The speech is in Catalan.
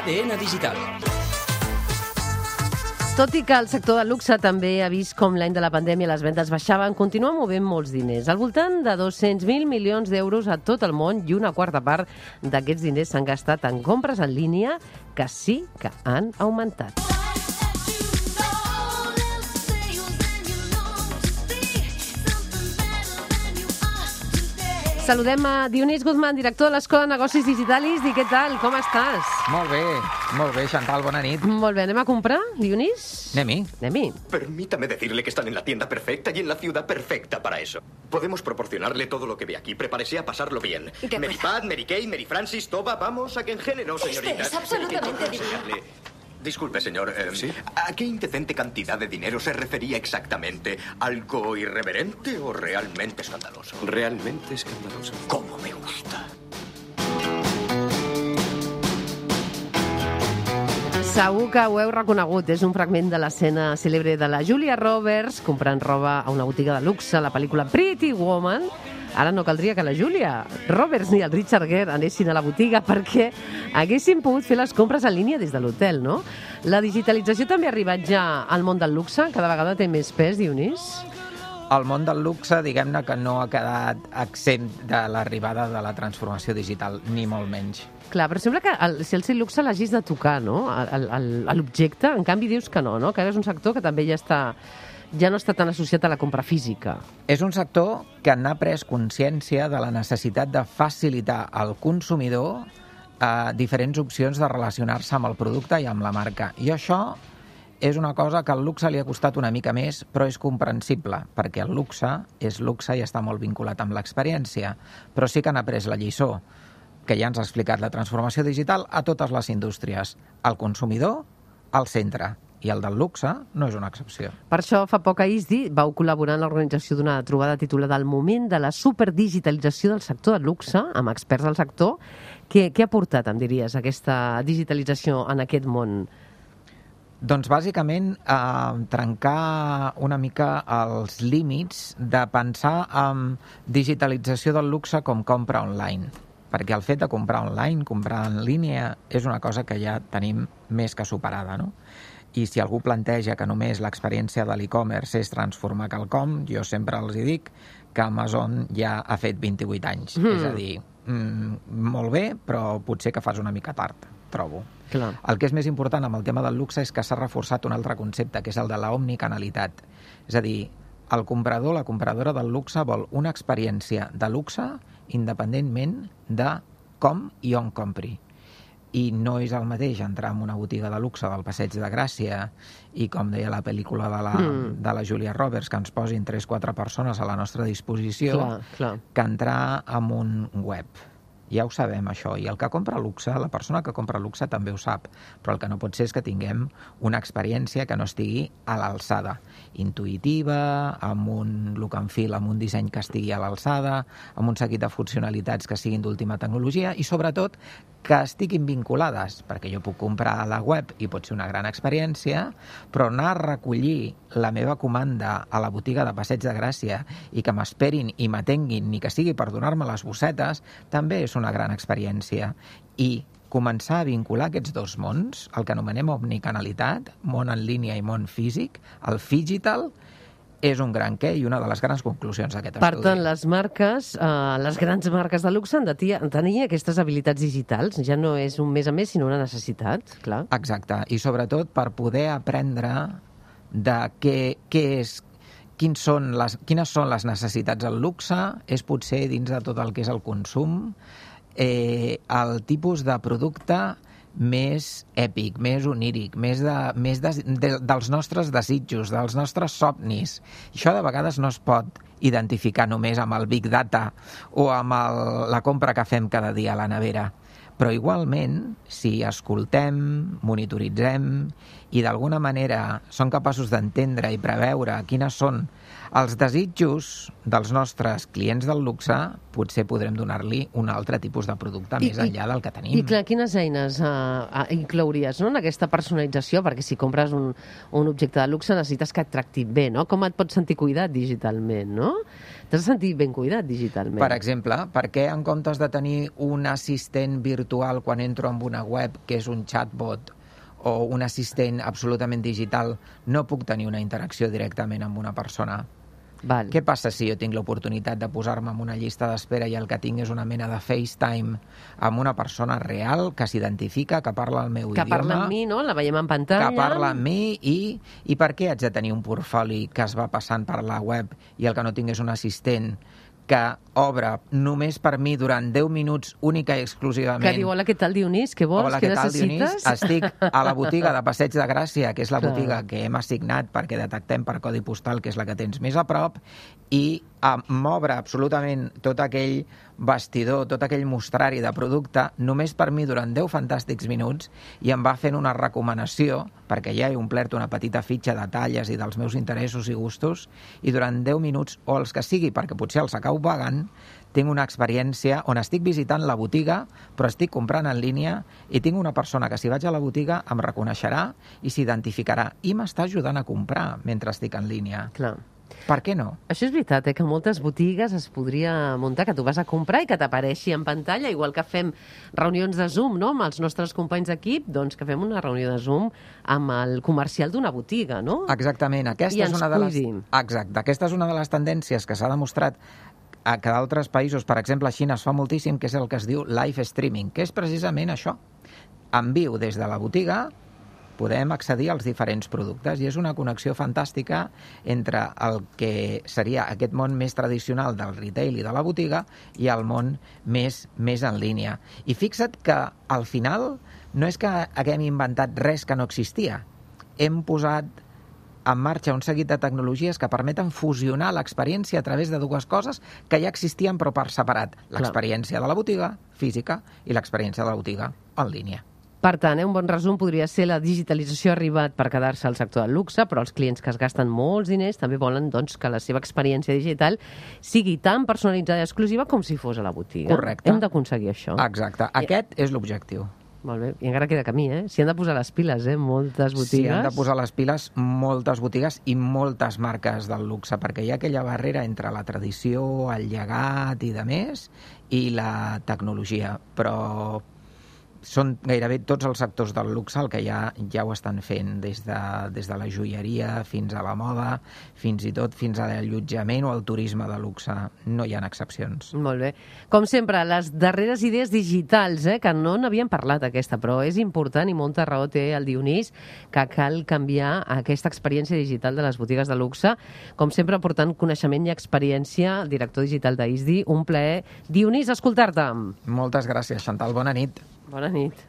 ADN Digital. Tot i que el sector del luxe també ha vist com l'any de la pandèmia les vendes baixaven, continua movent molts diners. Al voltant de 200.000 milions d'euros a tot el món i una quarta part d'aquests diners s'han gastat en compres en línia que sí que han augmentat. Saludem a Dionís Guzmán, director de l'Escola de Negocis Digitalis. I què tal? Com estàs? Molt bé, Chantal, bona nit. Molt bé, anem a comprar, Dionís? Anem-hi. Permítame decirle que están en la tienda perfecta y en la ciudad perfecta para eso. Podemos proporcionarle todo lo que ve aquí. Prepárese a pasarlo bien. Mary Pat, Mary Kay, Mary Francis, Toba, vamos a que en género, señorita. Es absolutamente divino. Disculpe, señor. ¿Sí? ¿A qué indecente cantidad de dinero se refería exactamente? ¿Algo irreverente o realmente escandaloso? Realmente escandaloso. ¿Cómo me gusta? Segur que ho heu reconegut. És un fragment de l'escena cèlebre de la Julia Roberts comprant roba a una botiga de luxe, la pel·lícula Pretty Woman. Ara no caldria que la Julia Roberts ni el Richard Gere anessin a la botiga perquè haguessin pogut fer les compres en línia des de l'hotel, no? La digitalització també ha arribat ja al món del luxe? Cada vegada té més pes, Dionís? El món del luxe, diguem-ne que no ha quedat exempt de l'arribada de la transformació digital, ni molt menys. Clar, però sembla que si el luxe l'hagis de tocar, no?, a l'objecte. En canvi, dius que no, que ara és un sector que també ja no està tan associat a la compra física. És un sector que n'ha pres consciència de la necessitat de facilitar al consumidor diferents opcions de relacionar-se amb el producte i amb la marca. I això és una cosa que al luxe li ha costat una mica més, però és comprensible, perquè el luxe és luxe i està molt vinculat amb l'experiència. Però sí que n'ha pres la lliçó, que ja ens ha explicat la transformació digital a totes les indústries. El consumidor al centre. I el del luxe no és una excepció. Per això, fa poc a ISDI vau col·laborar en l'organització d'una trobada titulada El moment de la superdigitalització del sector del luxe, amb experts del sector. Què ha portat, em diries, aquesta digitalització en aquest món? Doncs, bàsicament, trencar una mica els límits de pensar en digitalització del luxe com compra online. Perquè el fet de comprar online, comprar en línia, és una cosa que ja tenim més que superada, no? I si algú planteja que només l'experiència de l'e-commerce és transformar quelcom, jo sempre els dic que Amazon ja ha fet 28 anys. És a dir, molt bé, però potser que fas una mica tard, trobo. Clar. El que és més important amb el tema del luxe és que s'ha reforçat un altre concepte, que és el de la omnicanalitat. És a dir, el comprador, la compradora del luxe vol una experiència de luxe independentment de com i on compri. I no és el mateix entrar en una botiga de luxe del Passeig de Gràcia i, com deia la pel·lícula de la Julia Roberts, que ens posin 3-4 persones a la nostra disposició, que entrar en un web. Ja ho sabem, això. I el que compra luxe, la persona que compra luxe també ho sap, però el que no pot ser és que tinguem una experiència que no estigui a l'alçada. Intuïtiva, amb un look and feel, amb un disseny que estigui a l'alçada, amb un seguit de funcionalitats que siguin d'última tecnologia i, sobretot, que estiguin vinculades, perquè jo puc comprar a la web i pot ser una gran experiència, però anar a recollir la meva comanda a la botiga de Passeig de Gràcia i que m'esperin i m'atenguin, ni que sigui per donar-me les bossetes, també és una gran experiència. I començar a vincular aquests dos mons, el que anomenem omnicanalitat, món en línia i món físic, el phygital, és un gran què i una de les grans conclusions d'aquest estudi. Per tant, les marques, les grans marques de luxe han de tenir aquestes habilitats digitals. Ja no és un més a més, sinó una necessitat, clar. Exacte, i sobretot per poder aprendre de quines són les necessitats del luxe, és potser dins de tot el que és el consum, el tipus de producte més èpic, més oníric, més dels nostres desitjos, dels nostres somnis. Això de vegades no es pot identificar només amb el Big Data o amb la compra que fem cada dia a la nevera. Però igualment, si escoltem, monitoritzem i d'alguna manera som capaços d'entendre i preveure quines són els desitjos dels nostres clients del luxe, potser podrem donar-li un altre tipus de producte més enllà del que tenim. I clar, quines eines inclouries en aquesta personalització? Perquè si compres un objecte de luxe necessites que et tracti bé, no? Com et pots sentir cuidat digitalment, no? T'has sentit ben cuidat digitalment. Per exemple, per què en comptes de tenir un assistent virtual quan entro en una web, que és un chatbot, o un assistent absolutament digital, no puc tenir una interacció directament amb una persona? Val. Què passa si jo tinc l'oportunitat de posar-me en una llista d'espera i el que tinc és una mena de FaceTime amb una persona real que s'identifica, que parla el meu Que idioma... parla amb mi, no? La veiem en pantalla. Que parla amb mi i per què haig de tenir un portfoli que es va passant per la web i el que no tinc és un assistent que obre només per mi durant 10 minuts única i exclusivament. Que diu, hola, què tal, Dionís? Què vols? Hola, què què tal, necessites? Dionís? Estic a la botiga de Passeig de Gràcia, que és la Clar. botiga que hem assignat perquè detectem per codi postal, que és la que tens més a prop, i m'obre absolutament tot aquell vestidor, tot aquell mostrari de producte només per mi durant 10 fantàstics minuts i em va fent una recomanació, perquè ja he omplert una petita fitxa de talles i dels meus interessos i gustos, i durant 10 minuts, o els que sigui, perquè potser els acabo pagant, tinc una experiència on estic visitant la botiga, però estic comprant en línia i tinc una persona que si vaig a la botiga em reconeixerà i s'identificarà i m'està ajudant a comprar mentre estic en línia. Clar. Per què no? Això és veritat, que moltes botigues es podria muntar, que tu vas a comprar i que t'apareixi en pantalla, igual que fem reunions de Zoom, no?, amb els nostres companys d'equip, doncs que fem una reunió de Zoom amb el comercial d'una botiga, no? Exactament. Aquesta és una de les... Exacte. Aquesta és una de les tendències que s'ha demostrat que d'altres països, per exemple a Xina, es fa moltíssim, que és el que es diu live streaming, que és precisament això. En viu des de la botiga podem accedir als diferents productes i és una connexió fantàstica entre el que seria aquest món més tradicional del retail i de la botiga i el món més en línia. I fixa't que al final no és que haguem inventat res que no existia. Hem posat en marxa un seguit de tecnologies que permeten fusionar l'experiència a través de dues coses que ja existien però per separat. L'experiència de la botiga física i l'experiència de la botiga en línia. Per tant, un bon resum podria ser la digitalització ha arribat per quedar-se al sector del luxe, però els clients que es gasten molts diners també volen doncs, que la seva experiència digital sigui tan personalitzada i exclusiva com si fos a la botiga. Correcte. Hem d'aconseguir això. Exacte. Aquest és l'objectiu. Molt bé. I encara queda camí, S'hi han de posar les piles, moltes botigues. S'hi han de posar les piles moltes botigues i moltes marques del luxe, perquè hi ha aquella barrera entre la tradició, el llegat i de més, i la tecnologia. Però són gairebé tots els sectors del luxe el que ja ho estan fent, des de la joieria fins a la moda, fins i tot fins a l'allotjament o el turisme de luxe. No hi ha excepcions. Molt bé. Com sempre, les darreres idees digitals, que no n'havíem parlat aquesta, però és important i molta raó té el Dionís, que cal canviar aquesta experiència digital de les botigues de luxe. Com sempre, aportant coneixement i experiència, el director digital d'ISDI. Un plaer. Dionís, escoltar-te. Moltes gràcies, Chantal. Bona nit. Bona nit.